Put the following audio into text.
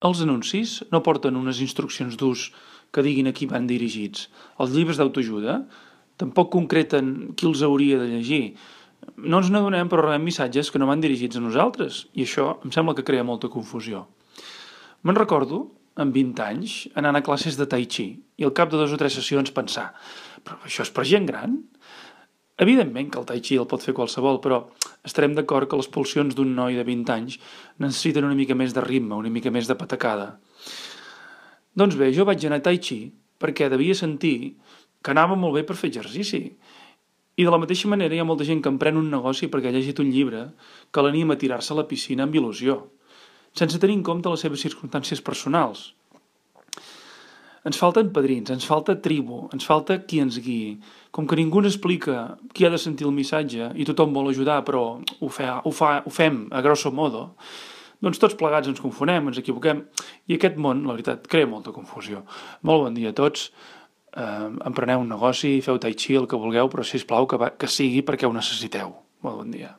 Els anuncis no porten unes instruccions d'ús que diguin a qui van dirigits. Els llibres d'autoajuda tampoc concreten qui els hauria de llegir. No ens n'adonem, però rebem missatges que no van dirigits a nosaltres, i això em sembla que crea molta confusió. Me'n recordo, amb 20 anys, anant a classes de Tai Chi, i al cap de 2 o 3 sessions pensar, però això és per gent gran? Evidentment que el Tai Chi el pot fer qualsevol, però estarem d'acord que les pulsions d'un noi de 20 anys necessiten una mica més de ritme, una mica més de patacada. Doncs bé, jo vaig anar a Tai Chi perquè devia sentir que anava molt bé per fer exercici. I de la mateixa manera hi ha molta gent que emprèn un negoci perquè ha llegit un llibre que l'anima a tirar-se a la piscina amb il·lusió, sense tenir en compte les seves circumstàncies personals. Ens falten padrins, ens falta tribu, ens falta qui ens guiï. Com que ningú ens explica qui ha de sentir el missatge i tothom vol ajudar però ho fem a grosso modo, doncs tots plegats ens confonem, ens equivoquem i aquest món, la veritat, crea molta confusió. Molt bon dia a tots, empreneu un negoci, feu tai chi, el que vulgueu, però sisplau que sigui perquè ho necessiteu. Molt bon dia.